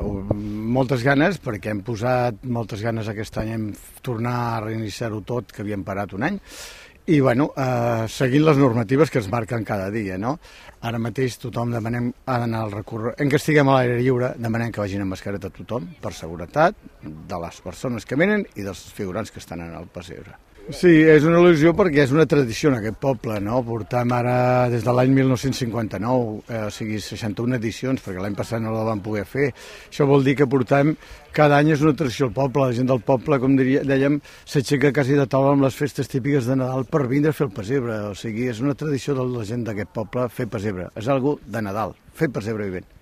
moltes ganes, perquè hem posat moltes ganes aquest any, hem tornat a reiniciar-ho tot, que havíem parat un any, i seguint les normatives que ens marquen cada dia, no? Ara mateix tothom demanem anar al recorregut, en que estiguem a l'aire lliure, demanem que vagin amb mascareta tothom, per seguretat de les persones que venen i dels figurants que estan en el pessebre. Sí, és una il·lusió perquè és una tradició en aquest poble, no? Portem ara des de l'any 1959, o sigui, 61 edicions, perquè l'any passat no la vam poder fer. Això vol dir que portem, cada any és una tradició al poble, la gent del poble, com dèiem, s'aixeca quasi de taula amb les festes típiques de Nadal per vindre a fer el pessebre, o sigui, és una tradició de la gent d'aquest poble fer pessebre, és algo de Nadal, fer pessebre vivent.